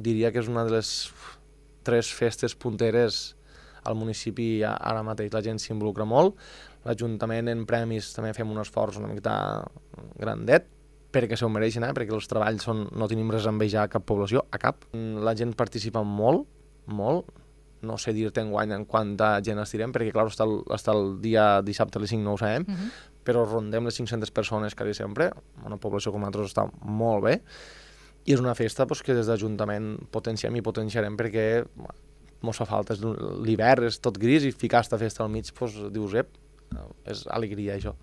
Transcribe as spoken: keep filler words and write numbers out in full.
diria que és una de les tres festes punteres al municipi ara mateix. La gent s'involucra molt, l'Ajuntament en premis també fem un esforç una miqueta grandet, perquè s'ho mereixen, eh? Perquè els treballs són, no tenim res a envejar a cap població, a cap. La gent participa molt, molt, no sé dir-te enguany en quanta gent estirem, perquè clar, està el, està el dia dissabte a les cinc no ho sabem, uh -huh. però rondem les cinc-centes persones quasi sempre, una població com nosaltres està molt bé, i és una festa pues, que des d'Ajuntament potenciem i potenciarem perquè mos fa falta, l'hivern és tot gris i ficar aquesta festa al mig, pues, dius, ep, és alegria això.